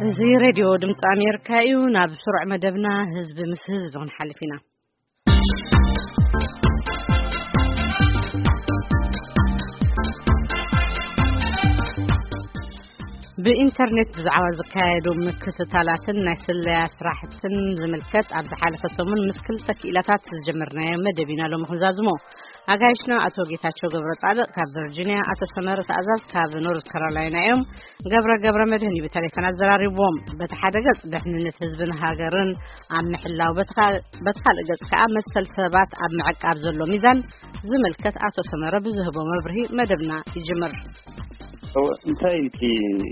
እዚ ሬድዮ ድምፂ ኣሜሪካ እዩ። ናብ ስሩዕ መደብና ህዝቢ ምስ ህዝቢ ክንሓልፍ ኢና። ብኢንተርኔት ብዛዕባ ዝካየዱ ምክትታላትን ናይ ስለያ ስራሕትን ዝምልከት ኣብ ዝሓለፈ ሰሙን ምስ ክልተ ክኢላታት ዝጀመርናዮ መደብ ኢና ሎሚ ክንዛዝሞ። ኣጋይሽና ኣቶ ጌታቸው ገብረ ጻድቕ ካብ ቨርጂኒያ፣ ኣቶ ሰመረ ተኣዛዝ ካብ ኖርዝ ካሮላይና እዮም። ገብረ ገብረ መድህን እዩ ብቴሌፎን ኣዘራሪብዎም። በቲ ሓደ ገጽ ድሕንነት ህዝብን ሃገርን ኣብ ምሕላው፣ በቲ ካ-፣ በቲ ካልእ ገጽ ከኣ መሰል ሰባት ኣብ ምዕቃብ ዘሎ ሚዛን ዝምልከት ኣቶ ሰመረ ብዝህቦ መብርሂ መደብና ይጅምር። እወ፣ እንታይ እቲ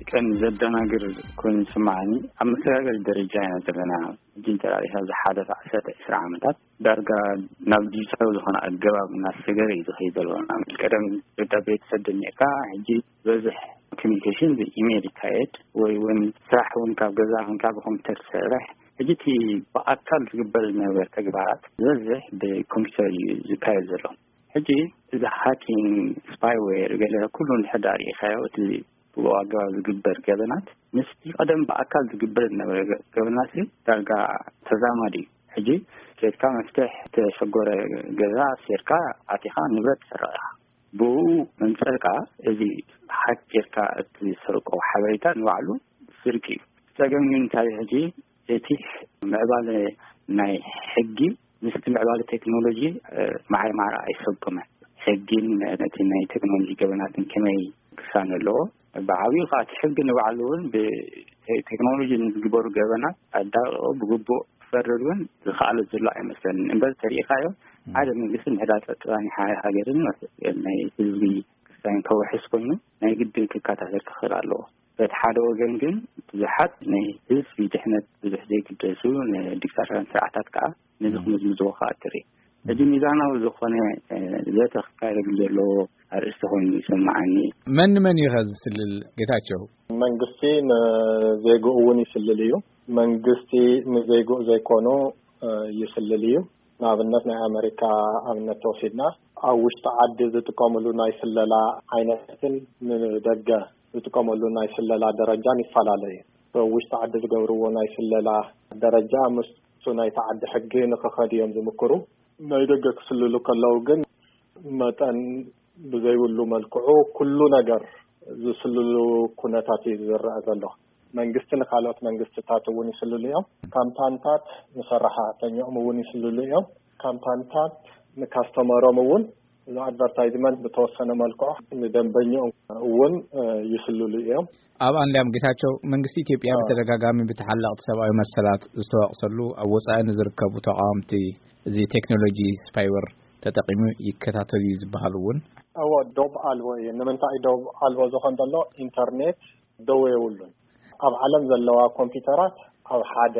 ቀንዲ ዘደናግር ኮይኑ ይስምዓኒ፣ ኣብ መሰጋገሪ ደረጃ ኢና ዘለና። ሕጂ እንተራኢኻ ዝሓለፈ ዓሰርተ ዒስራ ዓመታት ዳርጋ ናብ ዲጂታል ዝኾነ ኣገባብ እናሰገረ እዩ ዝኸይድ ዘሎ። ናብ ቀደም ደብዳቤ ትሰድድ ነርካ፣ ሕጂ ዝበዝሕ ኮሚኒኬሽን ብኢሜይል ይካየድ፣ ወይ እውን ስራሕ እውን ካብ ገዛ ኮንካ ብኮምፒውተር ትሰርሕ። ሕጂ እቲ ብኣካል ዝግበር ዝነበረ ተግባራት ዝበዝሕ ብኮምፒውተር እዩ ዝካየድ ዘሎ። ሕጂ እዚ ሃኪንግ፣ ስፓይዌር፣ ገለ ኩሉ እንድሕር ደኣ ርኢኻዮ፣ እቲ ብኡ ኣገባብ ዝግበር ገበናት ምስቲ ቀደም ብኣካል ዝግበር ዝነበረ ገ-፣ ገበናት ዳርጋ ተዛማዲ እዩ። ሕጂ ኬድካ መፍትሕ እተሸጎረ ገዛ ሴርካ ኣቲኻ ንብረት ትሰርቕ ኢኻ። ብኡ መንጸርካ እዚ ሃክ ጌርካ እትሰርቆ ሓበሬታ ንባዕሉ ስርቂ እዩ። ጸገም ግን እንታይ ሕጂ እቲ ምዕባለ ናይ ሕጊ ምስቲ ምዕባለ ቴክኖሎጂ፣ እ፣ ማዕረ ማዕረ ኣይሰጎመን። ሕጊን ነቲ ናይ ቴክኖሎጂ ገበናትን ከመይ ክሳነ ኣለዎ? ብዓብዩ ከኣ እቲ ሕጊ ንባዕሉ እውን ብቴክኖሎጂ ንዝግበሩ ገበናት ኣዳቂቑ ብግቡእ ክፈርድ እውን ዝኸኣለ ዘሎ ኣይመስለንን። እምበር ተሪኢኻዮ፣ ሓደ መንግስቲ ምሕዳር ጸጥታ ናይ ሓደ ሃገርን ናይ ህዝቢ ክስታይን ከውሕስ ኮይኑ ናይ ግድን ክከታተል ክኽእል ኣለዎ። በቲ ሓደ ወገን ግን ብዙሓት ናይ ህዝቢ ድሕነት ብዙሕ ዘይግደሱ ንዲክታቶራውያን ስርዓታት ከኣ ነዚ ክምዝምዝዎ ከኣ ትርኢ። እዚ ሚዛናዊ ዝኾነ፣ እ፣ ዘተ ክካየደሉ ዘለዎ ኣርእስቲ ኮይኑ ይስምዓኒ። መን ንመን እዩ ከ ዝስልል ጌታቸው? መንግስቲ ንዜግኡ እውን ይስልል እዩ። መንግስቲ ንዜግኡ ዘይኮኑ፣ እ፣ ይስልል እዩ። ንኣብነት ናይ ኣመሪካ ኣብነት ተወሲድና ኣብ ውሽጢ ዓዲ ዝጥቀምሉ ናይ ስለላ ዓይነትን ንደገ ዝጥቀመሉ ናይ ስለላ ደረጃን ይፈላለ እዩ። ኣብ ውሽጢ ዓዲ ዝገብርዎ ናይ ስለላ ደረጃ ምስቱ ናይቲ ዓዲ ሕጊ ንክኸድ እዮም ዝምክሩ። ናይ ደገ ክስልሉ ከለዉ ግን መጠን ብዘይብሉ መልክዑ ኩሉ ነገር ዝስልሉ ኩነታት እዩ ዝረአ ዘሎ። መንግስቲ ንካልኦት መንግስትታት እውን ይስልሉ እዮም። ካምፓንታት ንሰራሕተኛኦም እውን ይስልሉ እዮም። ካምፓንታት ንካስተመሮም እውን እዚ ኣድቨርታይዝመንት ብተወሰነ መልክዑ ንደንበኛኦም እውን፣ እ፣ ይስልሉ እዮም። ኣብ ኣንዳም ጌታቸው፣ መንግስቲ ኢትዮጵያ ኣዎ። ብተደጋጋሚ ብተሓለቕቲ ሰብኣዊ መሰላት ዝተወቕሰሉ ኣብ ወጻኢ ንዝርከቡ ተቓወምቲ እዚ ቴክኖሎጂ ስፓይወር ተጠቒሙ ይከታተሉ እዩ ዝበሃሉ እውን። እዎ፣ ዶብ ኣልቦ እዩ። ንምንታይ ዶብ ኣልቦ ዝኾን ዘሎ? ኢንተርኔት ደው የብሉን። ኣብ ዓለም ዘለዋ ኮምፒውተራት ኣብ ሓደ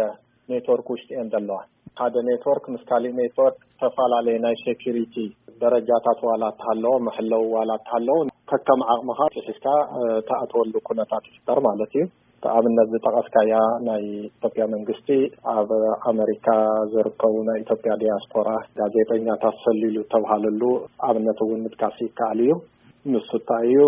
ኔትወርክ ውሽጢ እየን ዘለዋ። ሓደ ኔትወርክ ምስ ካሊእ ኔትወርክ ዝተፈላለየ ናይ ሴኩሪቲ ደረጃታት ዋላ እተሃለዎ፣ መሐለዊ ዋላ እተሃለዎ፣ ከከም ዓቕምኻ ሒዝካ፣ እ፣ ትኣትወሉ ኩነታት ይፍጠር ማለት እዩ። ኣብነት ዝጠቐስካያ ናይ ኢትዮጵያ መንግስቲ ኣብ ኣመሪካ ዝርከቡ ናይ ኢትዮጵያ ዲያስፖራ ጋዜጠኛታት ሰሊሉ ዝተብሃለሉ ኣብነት እውን ምጥቃስ ይከኣል እዩ። ንሱ እንታይ እዩ?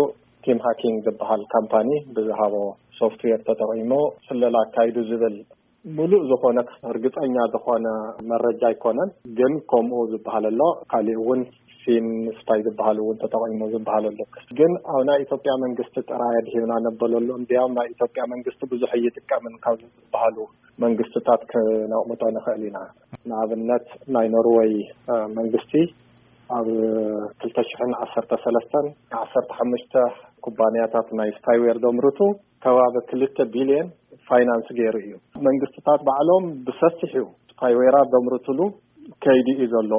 ቲም ሃኪንግ ዝበሃል ካምፓኒ ብዝሃቦ ሶፍትዌር ተጠቒሙ ስለላ ኣካይዱ ዝብል ምሉእ ዝኾነ ርግጸኛ ዝኾነ መረጃ ኣይኮነን። ግን ከምኡ ዝበሃል ኣሎ። ካሊእ እውን ፊን ስፓይ ዝበሃል እውን ተጠቒሙ ዝበሃል ኣሎ። ግን ኣብ ናይ ኢትዮጵያ መንግስቲ ጥራይ ኣድሂብና ነበለሉ። እንዲያውም ናይ ኢትዮጵያ መንግስቲ ብዙሕ ኣይጥቀምን ካብ ዝበሃሉ መንግስትታት ክነቕምጦ ንኽእል ኢና። ንኣብነት ናይ ኖርወይ፣ እ፣ መንግስቲ ኣብ ክልተ ሽሕን ዓሰርተ ሰለስተን ዓሰርተ ሓሙሽተ ኩባንያታት ናይ ስፓይዌር ዘምርቱ ከባቢ ክልተ ቢልዮን ፋይናንስ ገይሩ እዩ። መንግስትታት ባዕሎም ብሰፊሑ ስፓይዌራት ዘምርትሉ ከይዲ እዩ ዘሎ።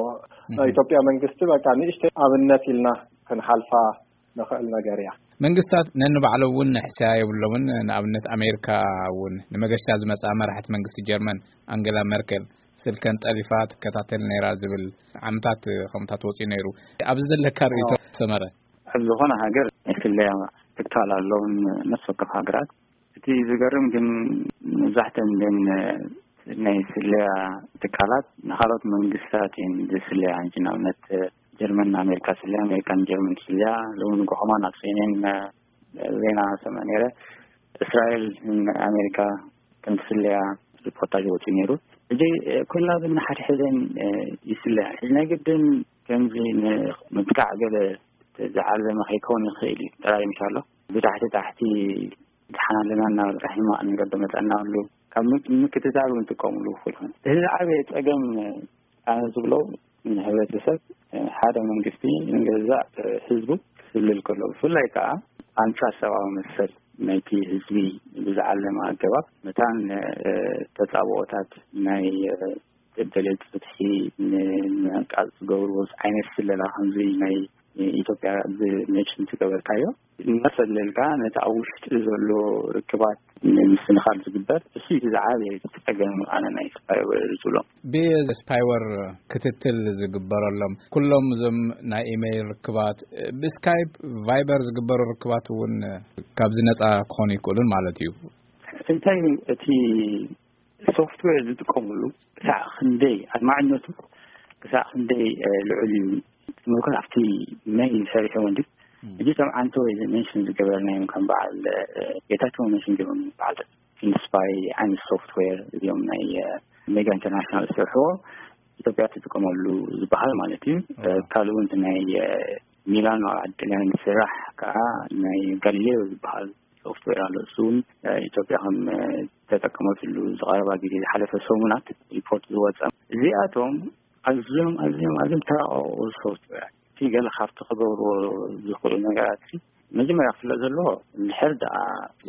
ናይ እህ። ኢትዮጵያ መንግስቲ በቃ ንእሽተይ ኣብነት ኢልና ክንሓልፋ ንኽእል ነገር እያ። መንግስታት ነንባዕሎም እውን ንሕስያ የብሎምን። ንኣብነት ኣሜሪካ እውን ንመገሻ ዝመጻ መራሕቲ መንግስቲ ጀርመን ኣንገላ መርከል ስልከን ጠሊፋ ትከታተል ነይራ ዝብል ዓመታት ከምታት ወፂኡ ነይሩ። ኣብዚ ዘለካ ርእይቶ ኣዎ። ሰመረ? ኣብ ዝኾነ ሃገር ናይ ስለያ ትካል ኣለውን ነፍሲ ወከፍ ሃገራት። እቲ ዝገርም ግን መብዛሕተን እዘን ናይ ስለያ ትካላት ንኻልኦት መንግስታት እየን ዝስለያ። ሕጂ ንኣብነት ጀርመን ንኣሜሪካ ትስለያ፣ ኣሜሪካ ንጀርመን ትስለያ። ሎሚ ንጎ ከማን ኣብ ሲ ኤን ኤን ዜና ሰምዐ ነይረ። እስራኤል ንኣሜሪካ ከም ትስለያ ሪፖርታጅ ወፂኡ ነይሩ። እዚ ኩልና ግን ንሓድሕደን ይስለያ። እዚ ናይ ግድን ከምዚ ንምጥቃዕ ገለ ዝዓለመ ከይከውን ይኽእል እዩ። ጥራይ ምሻሎ ብታሕቲ ታሕቲ ድሓን ኣለና እናበሉ ሕማቕ ነገር ደመፀና ኣሎ። ካብ ምክትታል እውን ጥቀምሉ ይኽእሉ። እዚ ዝዓበየ ፀገም ኣነ ዝብሎ ንህብረተሰብ ሓደ መንግስቲ ንገዛእ ህዝቡ ክስልል ከሎ፣ ብፍላይ ከዓ ኣንፃር ሰብኣዊ መሰል ናይቲ ህዝቢ ብዝዓለመ ኣገባብ መታን ተፃብኦታት ናይ ደለይቲ ፍትሒ ንምዕቃብ ዝገብርዎ ዓይነት ስለላ ከምዚ ናይ ኢትዮጵያ ብመጭን ትገበርካዮ እናፈለልካ ነቲ ኣብ ውሽጢ ዘሎ ርክባት ንምስንኻል ዝግበር እሱ እቲ ዝዓበየ ፀገም ኣነ ናይ ስፓይወር ዝብሎ። ብስፓይወር ክትትል ዝግበረሎም ኩሎም እዞም ናይ ኢሜይል ርክባት፣ ብስካይፕ ቫይበር ዝግበሩ ርክባት እውን ካብዚ ነፃ ክኾኑ ይክእሉን ማለት እዩ። እንታይ እቲ ሶፍትዌር ዝጥቀምሉ ክሳዕ ክንደይ ኣድማዕነቱ ክሳዕ ክንደይ ልዑል እዩ ትምልከት ኣብቲ መይል ሰሪሑ ወንዲ እዚ ከም ዓንተ ወይ ሜንሽን ዝገበርናዮም ከም በዓል ጌታቸው ሜንሽን ገበሩ በዓል ኢንስፓይ ዓይነት ሶፍትዌር እዚኦም ናይ ሜጋ ኢንተርናሽናል ዝሰርሕዎ ኢትዮጵያ ትጥቀመሉ ዝበሃል ማለት እዩ። ካልእ እውን ናይ ሚላኖ ኣብ ዓዲ ጥልያን ዝስራሕ ከዓ ናይ ጋሊሌዮ ዝበሃል ሶፍትዌር ኣሎ። እሱ እውን ኢትዮጵያ ከም ተጠቀመትሉ ዝቐረባ ግዜ ዝሓለፈ ሰሙናት ሪፖርት ዝወፀ። እዚኣቶም ኣዝዮም ኣዝዮም ኣዝዮም ተራቀቁ ሶፍትዌር እቲ ገለ ካብቲ ክገብርዎ ዝኽእሉ ነገራት መጀመርያ ክፍለጥ ዘለዎ እንድሕር ደኣ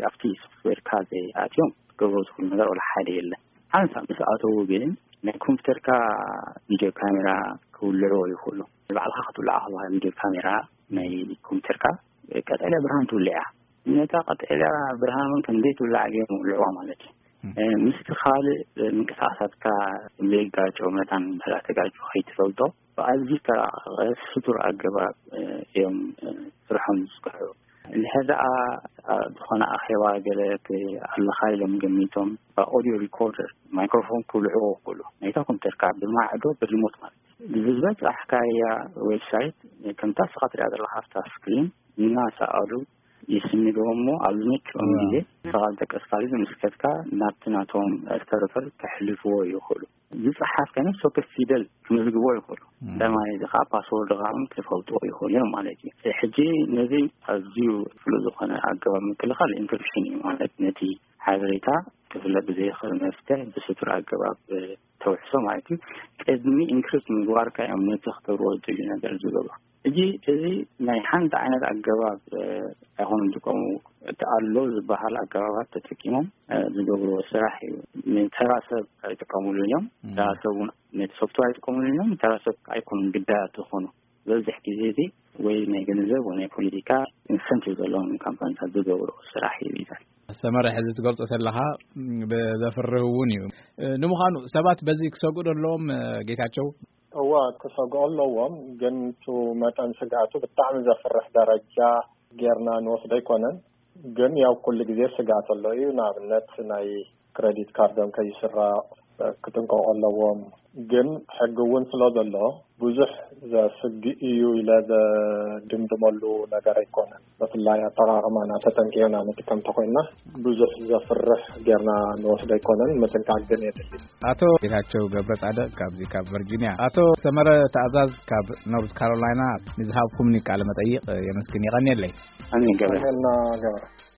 ኣብቲ ሶፍትዌርካ ዘይኣትዮም ክገብርዎ ዝኽእሉ ነገር ወላ ሓደ የለን። ሓንሳብ ምስ ኣተዉ ግን ናይ ኮምፒተርካ ቪድዮ ካሜራ ክውልዕዎ ይኽእሉ። ንባዕልኻ ክትውልዓ ከለኻ ቪድዮ ካሜራ ናይ ኮምፒተርካ ቀጠልያ ብርሃን ትውልዕ እያ። ነታ ቀጠልያ ብርሃን እውን ከም ዘይትውላዕ ገይሮም ይውልዕዋ ማለት እዩ። ምስቲ ካልእ ምንቅስቃሳትካ ዘይጋጨው መታን እንድሕር ተጋጭ ከይትፈልጦ ብኣዝዩ ዝተራቀቀ ስቱር ኣገባብ እዮም ስርሖም ዝስክሑ። እንድሕር ደኣ ዝኾነ ኣኼባ ገለ ኣለኻ ኢሎም ገሚቶም ኦዲዮ ሪኮርደር ማይክሮፎን ክውልዕዎ ይኽእሉ። ናይታ ኮምፒተርካ ብማዕዶ ብሪሞት ማለት እዩ። ብዝበጻሕካያ ዌብሳይት ከምታ ስኻ ትሪኣ ዘለኻ ኣብታ ስክሪን እናሰኣሉ ይስንድዎ እሞ ኣብ ዝመችኦም ግዜ ስኻ ዝጠቀስካሉ ዝምስከትካ ናብቲ ናቶም ሰርቨር ከሕልፍዎ ይኽእሉ። ዝጸሓፍከ ነፍሲ ወከፍ ፊደል ክምዝግቦ ይኽእሉ። ተማሪ እዚ ከዓ ፓስወርድ ከዓ ክፈልጥዎ ይኽእሉ እዮም ማለት እዩ። ሕጂ ነዚ ኣዝዩ ፍሉጥ ዝኾነ ኣገባብ ምክልኻል ኢንክሪፕሽን እዩ ማለት ነቲ ሓበሬታ ክፍለጥ ብዘይኽእል መፍትሕ ብስቱር ኣገባብ ተውሕሶ ማለት እዩ። ቅድሚ ኢንክሪፕት ምግባርካ እዮም ነቲ ክገብርዎ ዝደልዩ ነገር ዝገብሩ። እዚ እዚ ናይ ሓንቲ ዓይነት ኣገባብ ኣይኮኑን ዝጥቀሙ። እቲ ኣሎ ዝበሃል ኣገባባት ተጠቂሞም ዝገብርዎ ስራሕ እዩ። ንተራ ሰብ ኣይጥቀሙሉ እዮም። ተራ ሰብ እውን ነቲ ሶፍትዌር ኣይጥቀሙሉ እዮም። ተራ ሰብ ኣይኮኑን ግዳያት ዝኾኑ ዝበዝሕ ግዜ እዚ ወይ ናይ ገንዘብ ወይ ናይ ፖለቲካ ኢንሰንቲቭ ዘለዎም ካምፓኒታት ዝገብርዎ ስራሕ እዩ። ይዛል ሰመረ ሕዚ ትገልጾ ዘለኻ ብዘፍርህ እውን እዩ። ንምዃኑ ሰባት በዚ ክሰግኡ ኣለዎም ጌታቸው? እዋ ክሰግኦ ኣለዎም፣ ግን ቱ መጠን ስግኣቱ ብጣዕሚ ዘፍርሕ ደረጃ ጌርና ንወስዶ ኣይኮነን። ግን ያው ኩሉ ግዜ ስግኣት ኣሎ እዩ። ንኣብነት ናይ ክሬዲት ካርዶም ከይስረቕ ክጥንቀቑ ኣለዎም። ግን ሕጊ እውን ስለ ዘሎ ብዙሕ ዘስግእ እዩ ኢለ ዘድምድመሉ ነገር ኣይኮነን። ብፍላይ ኣጠቓቕማና ተጠንቂቕና ንጥቀም ተኮይና ብዙሕ ዘፍርሕ ጌርና ንወስዶ ኣይኮነን። ምጥንቃቕ ግን የድሊ። ኣቶ ጌታቸው ገብረ ጻድቕ ካብዚ ካብ ቨርጂኒያ፣ ኣቶ ሰመረ ተኣዛዝ ካብ ኖርዝ ካሮላይና ንዝሃብኩምኒ ቃለ መጠይቕ የመስግን። የቐንየለይ። ኣሜን ገብረ። ኣሜን ገብረ።